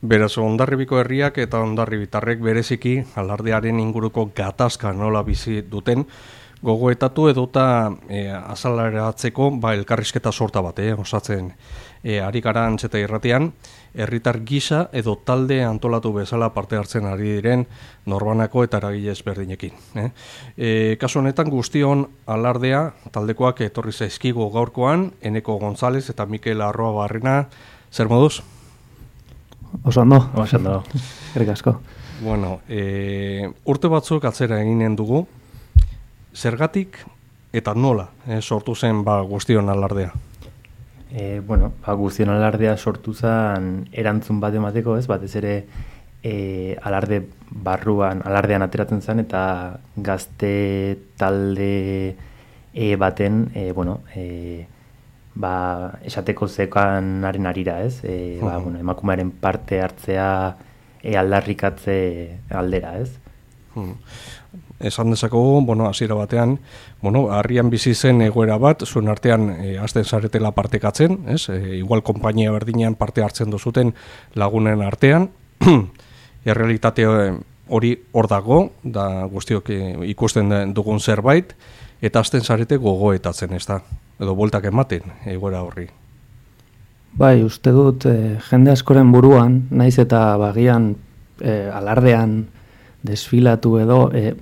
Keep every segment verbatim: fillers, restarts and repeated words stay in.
Beraz, Hondarribiko herriak eta hondarribitarrek bereziki alardearen inguruko gatazka nola bizi duten gogoetatu edota e, azaleratzeko ba, elkarrizketa sorta bat, eh, osatzen e, ari gara Antxeta irratian, herritar gisa edo talde antolatu bezala parte hartzen ari diren norbanako eta eragile ezberdinekin. Eh. E, kasu honetan guztion alardea taldekoak etorri zaizkigu gaurkoan, Eneko González eta Mikel Arroa Barrena, zer moduz? Oso ondo, oso ondo, herrik asko. Bueno, e, urte batzuk atzera eginen dugu, zergatik eta nola e, sortu zen ba, guztion alardea? E, bueno, ba, guztion alardea sortu zen erantzun bat emateko, ez? Batez ere e, alarde barruan, alardean ateratzen zen eta gazte talde e, baten, e, bueno, e, ba, esateko zekanaren arira, ez? E, ba, bueno, emakumearen parte hartzea e, aldarrikatze aldera, ez? Hmm. Esan dezakegu, bueno, hasiera batean, bueno, harrian bizi zen egoera bat, zuen artean e, hasten zaretela partekatzen, ez? E, igual konpainia berdinean parte hartzen duzuten lagunen artean, errealitate hori hor dago, da guztiok e, ikusten dugun zerbait, eta hasten zarete gogoetatzen, ez da? Edo bueltak ematen, egoera horri. Bai, uste dut, e, jende askoren buruan, naiz eta bagian e, alardean desfilatu edo, e,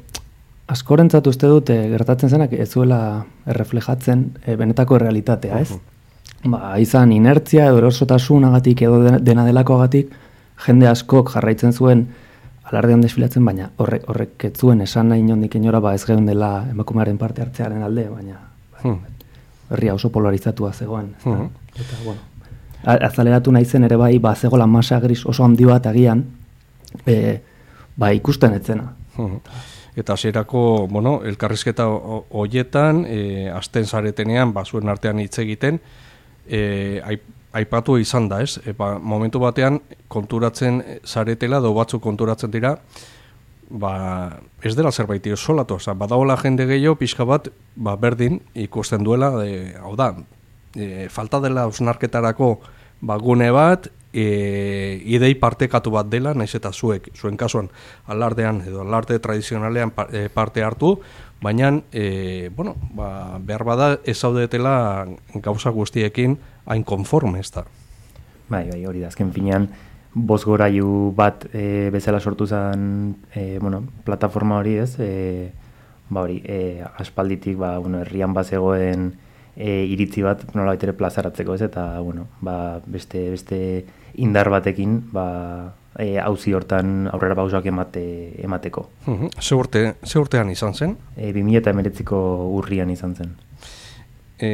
askorentzat uste dut e, gertatzen zenak ez zuela erreflejatzen e, benetako realitatea, ez? Uh-huh. Ba, izan inertzia edo erosotasunagatik edo dena delakoagatik, jende askok jarraitzen zuen alardean desfilatzen, baina horrek, horrek ez zuen esan nahi inondik inora ba ez geun dela emakumearen parte hartzearen alde, baina uh-huh. herria oso polarizatua zegoen. Uh-huh. Eta, bueno, azaleratu nahi zen ere bai, ba, zegoela masa gris oso handi bat agian, e, ba, ikusten etzena. Uh-huh. Eta hasierako, bueno, elkarrizketa hoietan, e, azten zaretenean, ba, zuen artean hitz egiten, e, aipatu izan da, ez? E, ba, momentu batean, konturatzen zaretela, do batzuk konturatzen dira, ba, ez dela zerbait solatu, oza, badagoela jende gehiago, pixka bat, ba, berdin ikusten duela, e, hau da, e, falta dela osnarketarako ba, gune bat, e, idei partekatu bat dela, naiz eta zuek, zuen kasuan, alardean edo alarde tradizionalean parte hartu, baina, e, bueno, ba, behar bada ez zaudetela gauza guztiekin hain konforme, ez da. Bai, bai, hori da, azken finean, bozgorailu bat e, bezala sortu zen, e, bueno, plataforma hori ez, e, ba hori, e, aspalditik, ba, bueno, herrian bazegoen e, iritzi bat nola baitere plazaratzeko ez, eta, bueno, ba, beste, beste indar batekin, ba, e, auzi hortan aurrera pausoak emate, emateko. Uh-huh. Ze urte, ze urtean izan zen? E, bi mila hemeretziko urrian izan zen. E,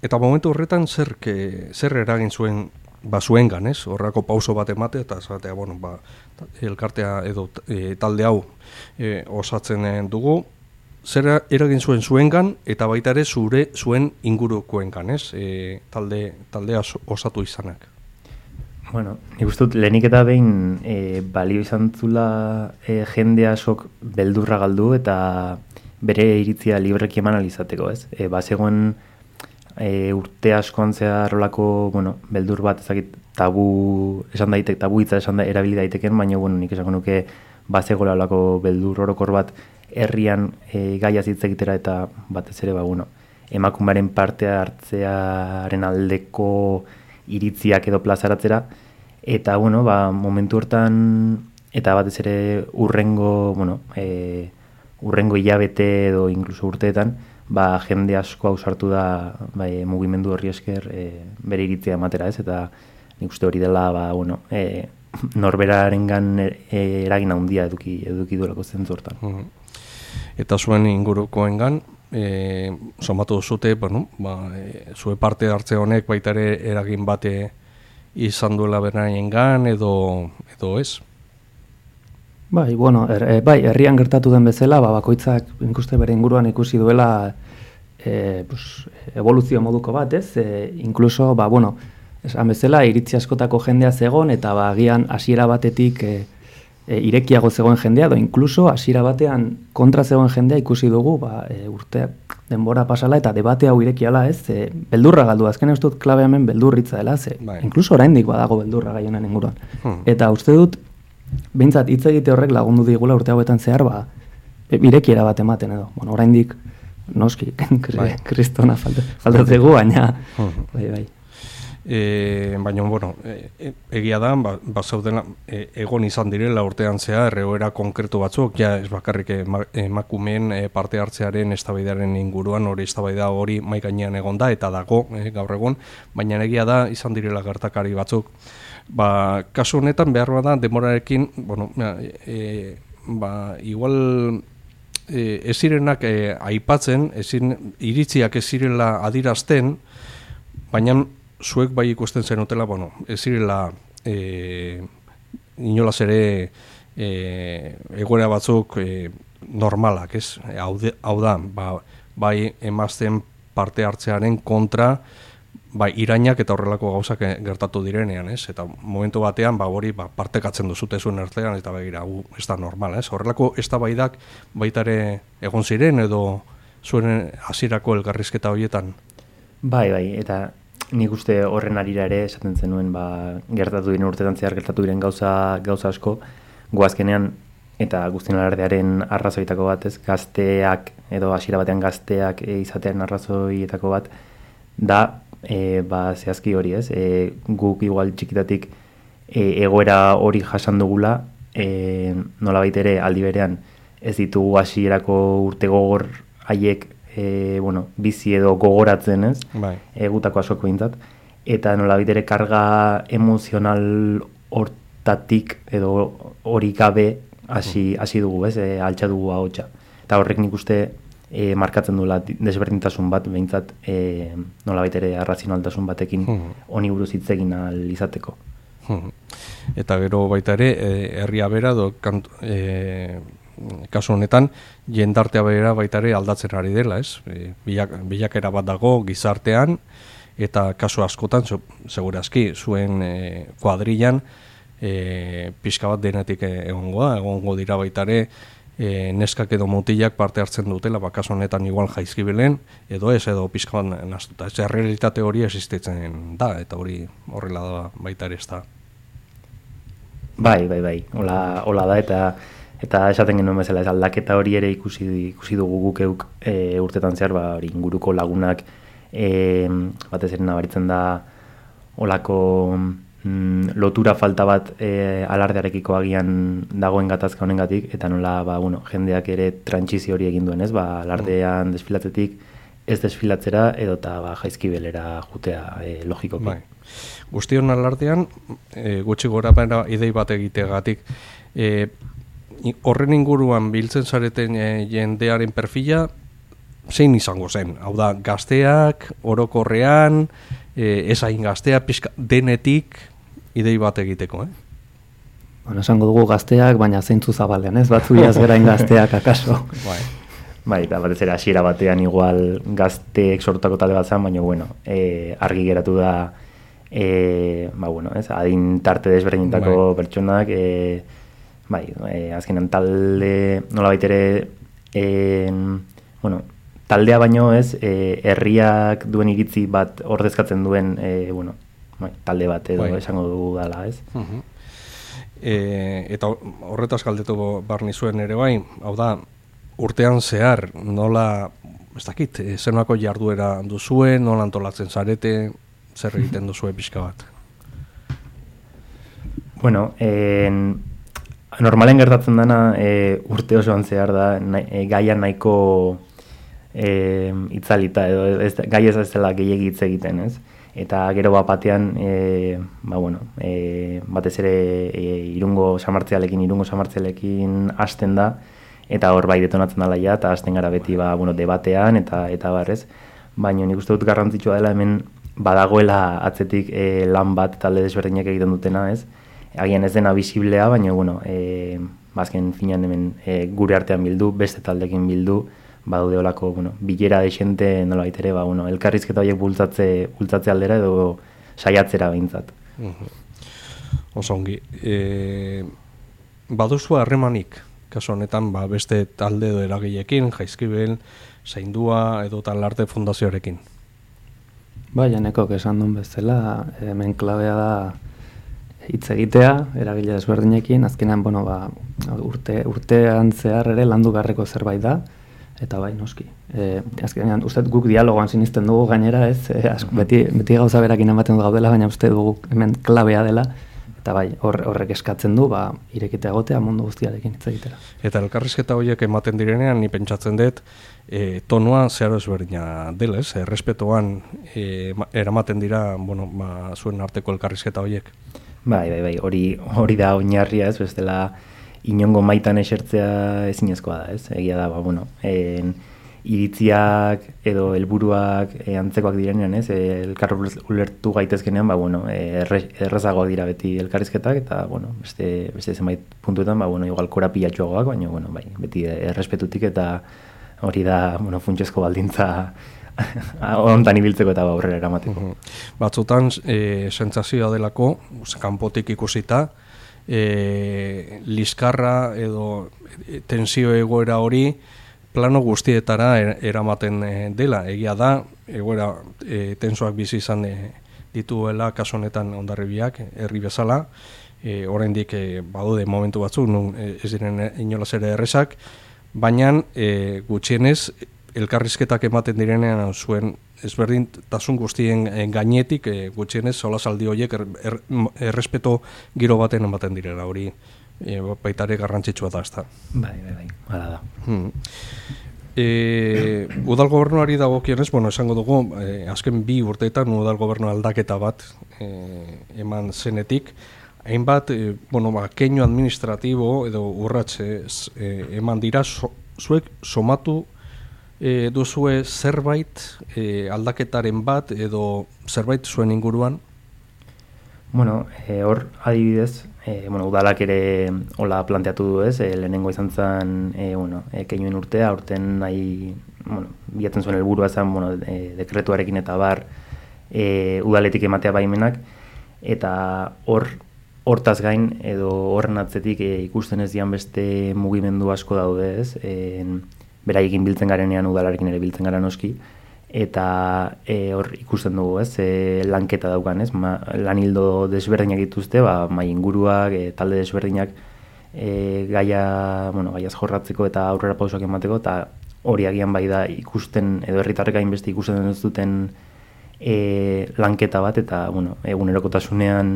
eta momentu horretan zer, ke, zer eragin zuen ba zuengan, ez? Horrako pauso bat emate eta esatea, bueno, ba, elkartea edo e, talde hau e, osatzen dugu, zer eragin zuen zuengan eta baita ere zure zuen ingurukoengan, ez? E, talde taldea osatu izanak. Bueno, nik uste dut lehenik eta behin e, balio izan zula e, jende asok beldurra galdu eta bere iritzia libreki eman alizateko, ez? E, ba, zegoen E, urte askoan zehar rolako, bueno, beldur bat ezakit tabu esan daitek, tabu hitza esan da, erabili daiteken, baina bueno, nik esango nuke bazegoela olako beldur orokor bat herrian e, gaia hitz egitera eta batez ere ba bueno, emakumearen parte hartzearen aldeko iritziak edo plazaratzera eta bueno, ba momentu hortan eta batez ere urrengo, bueno, e, urrengo hilabete edo inkluso urteetan ba, jende asko ausartu da bai, mugimendu horri esker e, bere iritzia ematera ez, eta nik uste hori dela ba, bueno, e, norberarengan e, eragin handia eduki, eduki duelako zentzu hortan. Uh-huh. Eta zuen ingurukoengan, e, somatu zute, bueno, ba, e, zue parte hartze honek baita ere eragin bate izan duela beraiengan edo, edo ez? Bai, bueno, er, e, bai, herrian gertatu den bezala, ba, bakoitzak ikuste bere inguruan ikusi duela e, pues, evoluzio moduko bat, ez? E, inkluso, ba, bueno, esan bezala, iritzi askotako jendea zegon, eta ba, agian hasiera batetik e, e, irekiago zegoen jendea, edo inkluso hasiera batean kontra zegoen jendea ikusi dugu, ba, e, urte denbora pasala eta debate hau irekiala, ez, e, beldurra galdu, azken ez dut klabe hemen beldurritza dela, ze, bai. inkluso oraindik badago beldurra gai honen inguruan. Hmm. Eta uste dut, behintzat hitz egite horrek lagundu digula urte hauetan zehar, ba, irekiera bat ematen edo. Bueno, oraindik noski, bai. kristona faltatzegu, baina, bai, bai. E, baina, bueno, e, egia da, ba, ba zaudela, e, egon izan direla urtean zehar, egoera konkretu batzuk, ja ez bakarrik ema, emakumeen e, parte hartzearen eztabaidaren inguruan, hori eztabaida hori mai gainean egon da, eta dago e, gaur egun, baina egia da, izan direla gertakari batzuk. Ba, kasu honetan behar bada, demorarekin, bueno, e, ba, igual e, ez zirenak e, aipatzen, ezin, iritziak ez zirela adirazten, baina zuek bai ikusten zenutela, bueno, ez zirela e, inolaz ere e, egoera batzuk e, normalak, ez? Hau, de, hau da, ba, bai emazten parte hartzearen kontra, bai irainak eta horrelako gauzak gertatu direnean, ez? Eta momentu batean, ba, hori ba, partekatzen duzute zuen artean, eta begira, gu, ez da normal, ez? Horrelako eztabaidak baita ere egon ziren, edo zuen hasierako elkarrizketa horietan? Bai, bai, eta nik uste horren arira ere esaten zenuen ba, gertatu diren urtetan zehar gertatu diren gauza, gauza asko goazkenean eta guztien alardearen arrazoitako bat, ez, gazteak edo hasiera batean gazteak e, izatearen arrazoietako bat da e, ba, zehazki hori, ez, e, guk igual txikitatik e, egoera hori jasan dugula, e, nolabait ere aldi berean ez ditugu hasierako urte gogor haiek E, bueno, bizi edo gogoratzen, ez? Bai. Egutako asoko bintzat. Eta nolabait ere karga emozional hortatik edo hori gabe hasi hasi dugu, ez? E, altxa dugu ahotsa. Eta horrek nik uste e, markatzen duela desberdintasun bat, behintzat e, nolabait ere arrazionaltasun batekin honi buruz hitz egin ahal izateko. Eta gero baita ere, herria bera do kantu, e, kasu honetan, jendartea bera baita ere aldatzen ari dela, ez? E, bilak, bilakera bat dago gizartean, eta kasu askotan, segurazki, zuen e, kuadrillan, e, pixka bat denetik egongoa, egongo dira baita ere, e, neskak edo mutilak parte hartzen dutela, ba, kasu honetan igual jaizkibelen, edo ez, edo pixka bat naztuta. Ez, realitate hori existitzen da, eta hori horrela da baita ere ez da. Bai, bai, bai, hola, hola da, eta Eta esaten genuen bezala, ez aldaketa hori ere ikusi, ikusi dugu guk euk e, urtetan zehar, ba, hori inguruko lagunak e, batez ere nabaritzen da olako mm, lotura falta bat e, alardearekiko agian dagoen gatazka honengatik, eta nola ba, bueno, jendeak ere trantsizio hori egin duen, ez? Ba, alardean desfilatzetik ez desfilatzera edota ba, jaizkibelera jutea e, logikoki. Bai. Guztion alardean, e, gutxi gora baina idei bat egitegatik, e, horren inguruan biltzen zareten e, jendearen perfila zein izango zen? Hau da, gazteak, orokorrean, e, ezain gaztea, pizka, denetik idei bat egiteko, eh? Bueno, esango dugu gazteak, baina zeintzu zabalean, ez? Batzu iaz gerain gazteak, akaso. Bai, bai, eta batez ere hasiera batean igual gazteek sortutako talde bat zen, baina, bueno, e, argi geratu da, e, ba, bueno, ez? Adin tarte desberdinetako bai. Pertsonak, e, bai, e, azkenan talde, nolabait ere, e, bueno, taldea baino ez, e, herriak duen iritzi bat ordezkatzen duen, e, bueno, bai, talde bat edo bai. Esango dugu dala, ez? Uh-huh. e, eta horretaz galdetu barni zuen ere bai, hau da, urtean zehar, nola, ez dakit, zenako jarduera duzuen, nola antolatzen zarete, zer egiten duzue pixka bat? Bueno, en... normalen gertatzen dana e, urte osoan zehar da na, e, gaia nahiko e, itzalita edo ez, gai ez ez dela gehiegi hitz egiten, ez? Eta gero bat batean e, ba, bueno, e, batez ere e, irungo samartzealekin, irungo samartzealekin hasten da eta hor bai detonatzen dela ja eta hasten gara beti ba, bueno, debatean eta eta barrez, baina nik uste dut garrantzitsua dela hemen badagoela atzetik e, lan bat talde desberdinak egiten dutena, ez? Agian ez dena bisiblea, baina, bueno, e, bazken finan hemen e, gure artean bildu, beste taldekin bildu, badaude olako, bueno, bilera desente nolabait ere, ba, bueno, elkarrizketa horiek bultzatze, bultzatze aldera edo saiatzera behintzat. Uh-huh. Oso ongi. E, baduzu harremanik, kaso honetan ba, beste talde edo eragileekin, Jaizkibel, Zaindua edo Talarte Fundazioarekin? Bai, enekok esan duen bezala, hemen klabea da hitz egitea, eragile desberdinekin, azkenean, bueno, ba, urte, urtean zehar ere landu garreko zerbait da, eta bai, noski. E, azkenean, uste guk dialogoan sinisten dugu gainera, ez, e, asko, beti, beti gauza berakin ematen du gaudela, baina uste dugu hemen klabea dela, eta bai, hor, horrek eskatzen du, ba, irekite egotea mundu guztiarekin hitz egitera. Eta elkarrizketa horiek ematen direnean, ni pentsatzen dut, e, tonua zeharo ezberdina dela, ez, errespetoan e, eramaten dira, bueno, ba, zuen arteko elkarrizketa horiek. Bai, bai, bai, hori, hori da oinarria, ez, bestela inongo maitan esertzea ezinezkoa da, ez, egia da, ba, bueno, en, iritziak edo helburuak e, antzekoak direnean, ez, e, elkar ulertu gaitezkenean, ba, bueno, e, erre, errezagoak dira beti elkarrizketak, eta, bueno, beste, beste zenbait puntuetan, ba, bueno, igual korapilatxoagoak, baina, bueno, bai, beti errespetutik eta hori da, bueno, funtsezko baldintza ontan ibiltzeko eta aurrera eramateko. Uh -huh. Batzutan, e, sentsazioa delako, kanpotik ikusita, e, liskarra edo tensio egoera hori plano guztietara er, eramaten e, dela. Egia da, egoera e, tensoak bizi izan e, dituela kasu honetan Hondarribiak, herri bezala, e, oraindik e, badude momentu batzuk, nun e, ez diren inolaz ere errezak, baina e, gutxienez, elkarrizketak ematen direnean zuen ezberdintasun guztien gainetik e, gutxienez solasaldi horiek er, er, errespeto giro baten ematen direla, hori e, baitare garrantzitsua da, ezta. Bai, bai, bai, hala da. Hmm. E, udal gobernuari dagokionez, bueno, esango dugu, e, azken bi urteetan udal gobernu aldaketa bat e, eman zenetik, hainbat, e, bueno, ba, keinu administratibo edo urratxe e, eman dira, so, zuek somatu E, duzue zerbait e, aldaketaren bat edo zerbait zuen inguruan? Bueno, e, hor adibidez, e, bueno, udalak ere hola planteatu du, ez, e, lehenengo izan zen, e, bueno, e, keinuen urtea, aurten nahi, bueno, bilatzen zuen helburua zen, bueno, e, dekretuarekin eta bar, e, udaletik ematea baimenak, eta hor, hortaz gain, edo horren atzetik e, ikusten ez dian beste mugimendu asko daude, ez, e, beraiekin biltzen garenean udalarekin ere biltzen gara noski, eta e, hor ikusten dugu, ez, e, lanketa daukan, ez, ma, lan hildo desberdinak dituzte, ba, mai inguruak, e, talde desberdinak e, gaia, bueno, gaiaz jorratzeko eta aurrera pausoak emateko, eta hori agian bai da ikusten, edo herritarrek hainbeste ikusten ez duten e, lanketa bat, eta, bueno, egunerokotasunean,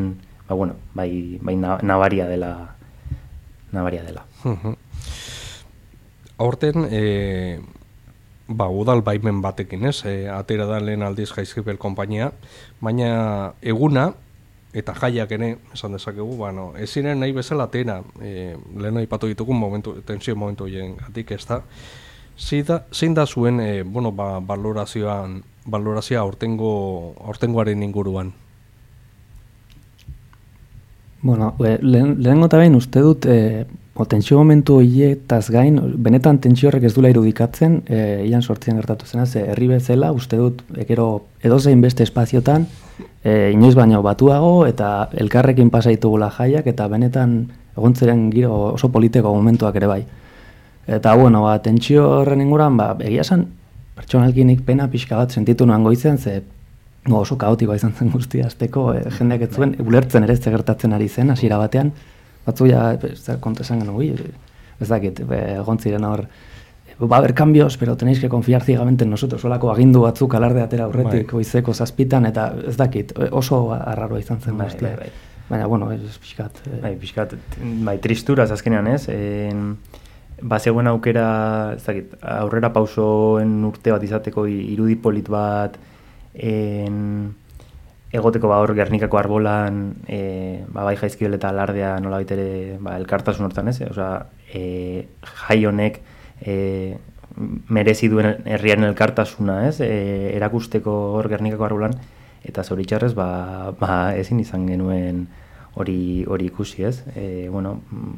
ba, bueno, bai, bai nabaria dela, nabaria dela. Aurten, e, ba, udal baimen batekin, ez, e, atera da lehen aldiz Jaizkibel konpainia, baina eguna, eta jaiak ere, esan dezakegu, bueno, ez ziren nahi bezala atera, e, lehen aipatu ditugun momentu, tensio momentu hien gatik ez da, zein da zuen, e, bueno, ba, valorazioan, valorazioa aurtengo, aurtengoaren inguruan? Bueno, lehen, lehenengo eta behin uste dut, e, o, tensio momentu horietaz gain, benetan tensio horrek ez dula irudikatzen, e, ian sortzian gertatu zena, ze herri bezala, uste dut, ekero edozein beste espaziotan, e, inoiz baino batuago, eta elkarrekin pasaitugula jaiak, eta benetan egontzeren giro oso politeko momentuak ere bai. Eta, bueno, ba, tentsio horren inguran, ba, egia esan, pertsonalkinik pena pixka bat sentitu noan goizen, ze no, oso kaotikoa izan zen guztia azteko, e, jendeak ez zuen, ulertzen ere ez gertatzen ari zen, hasiera batean, batzu ja, zer konta esan genuen, ez dakit, egon ziren hor, va a haber cambios, pero tenéis que confiar ciegamente en nosotros, solako agindu batzuk alarde atera aurretik, bai. Goizeko zazpitan, eta ez dakit, oso arraroa izan zen guztia. Bai, bai, bai. Baina, bueno, ez pixkat. Eh. Bai, pixkat, bai, tristuraz azkenean ez, en, ba, zegoen aukera, ez dakit, aurrera pausoen urte bat izateko irudi polit bat, en, egoteko ba hor Gernikako arbolan, e, ba, bai Jaizkibel eta Alardea nola baitere ba, elkartasun hortan ez, osea, e, jai honek e, merezi duen herriaren elkartasuna ez, e, erakusteko hor Gernikako arbolan, eta zoritxarrez ba, ba, ezin izan genuen hori hori ikusi ez, e, bueno,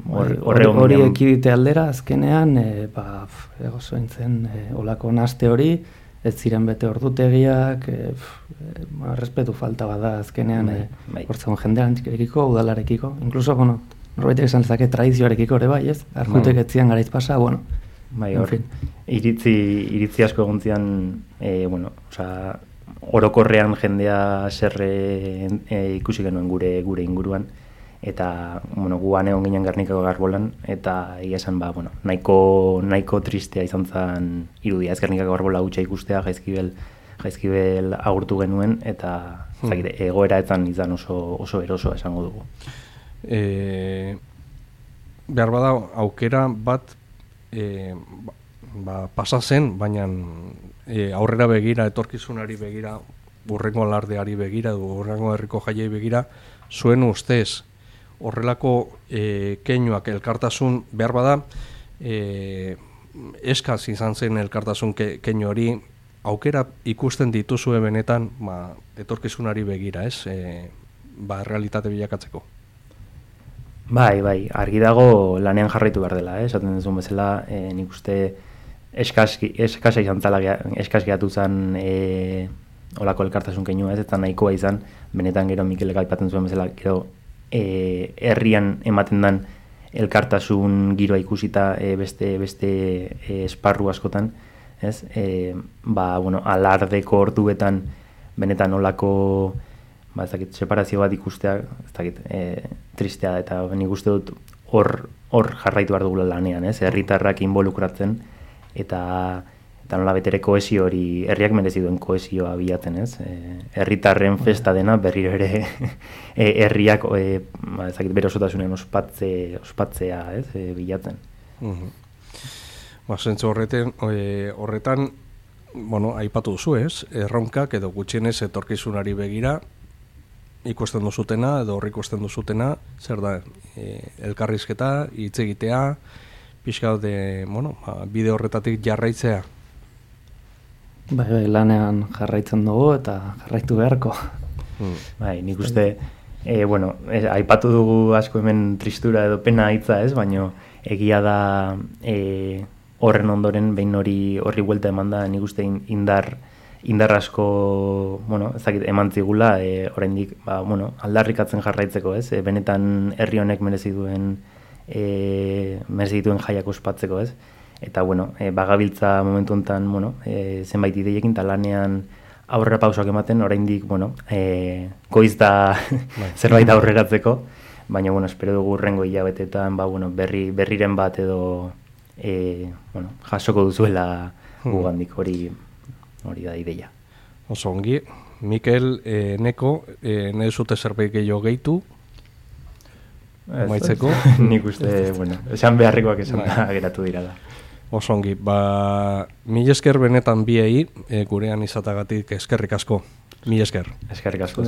hor, hori hori ekidite aldera azkenean, e, ba, ego zoin zen, e, olako naste hori, ez ziren bete ordutegiak, e, e, ba, respetu falta bada azkenean, bai, bai. E, hortzegon jendearekiko, udalarekiko, inkluso, bueno, norbaitek esan zake tradizioarekiko ere bai, ez? Arkutek etzian garaiz pasa, bueno. Bai, hor, iritzi, iritzi asko egontzian, e, bueno, oza, orokorrean jendea zerre e, ikusi genuen gure gure inguruan, eta, bueno, guan egon ginen Gernikako Garbolan, eta egia esan, ba, bueno, nahiko, nahiko tristea izan zen irudia, ez Gernikako Garbola hutsa ikustea, jaizkibel, jaizkibel agurtu genuen, eta hmm. zakite, egoera etzan izan oso, oso erosoa esango dugu. E, behar bada, aukera bat, E, ba, pasa zen, baina e, aurrera begira, etorkizunari begira, urrengo alardeari begira, urrengo herriko jaiei begira, zuen ustez, horrelako e, keinuak elkartasun behar bada, e, eskaz izan zen elkartasun ke, keinu hori, aukera ikusten dituzue benetan, ba, etorkizunari begira, ez? E, ba, realitate bilakatzeko. Bai, bai, argi dago lanean jarraitu behar dela, eh? Esaten duzun bezala, eh, nik uste eskaski, eskasa izan zala, eskas gehatu zen eh, olako elkartasun keinua, ez, eta nahikoa izan, benetan gero Mikelek aipatzen zuen bezala, gero eh, herrian ematen dan elkartasun giroa ikusita eh, beste, beste eh, esparru askotan, ez, eh, ba, bueno, alardeko orduetan benetan olako ba, ez dakit, separazio bat ikustea, ez dakit, e, tristea, eta nik uste dut hor, hor jarraitu behar dugula lanean, ez, herritarrak involukratzen, eta, eta nola betere kohesio hori, herriak merezi duen kohesioa bilatzen, ez, e, herritarren festa dena berriro ere e, herriak, e, ba, ez dakit, bere osotasunen ospatze, ospatzea, ez, e, bilatzen. Mhm. Ba, zentzu horretan, e, horretan, bueno, aipatu duzu, ez, erronkak edo gutxienez etorkizunari begira, ikusten duzutena edo horri ikusten duzutena, zer da, e, elkarrizketa, hitz egitea, pixka de, bueno, ba, bide horretatik jarraitzea. Bai, bai, lanean jarraitzen dugu eta jarraitu beharko. Hmm. Bai, nik uste, e, bueno, e, aipatu dugu asko hemen tristura edo pena hitza, ez, baino egia da e, horren ondoren behin hori horri buelta eman da, nik uste indar indar asko, bueno, ezakit, eman zigula, e, oraindik, ba, bueno, aldarrikatzen jarraitzeko, ez? E, benetan herri honek merezi duen e, merezi dituen jaiak ospatzeko, ez? Eta, bueno, e, bagabiltza momentu honetan, bueno, e, zenbait ideiekin talanean aurrera pausoak ematen, oraindik, bueno, e, goiz da zerbait aurreratzeko, baina, bueno, espero dugu urrengo hilabetetan, ba, bueno, berri, berriren bat edo e, bueno, jasoko duzuela gugandik hori hori da ideia. Oso ongi, Mikel, e, Neko, e, nahi zute zerbait gehiago gehitu, maitzeko. Nik uste, bueno, esan beharrikoak esan da geratu dira da. Oso ongi, ba, mil esker benetan biei, e, gurean izatagatik eskerrik asko. Mil esker. Eskerrik asko.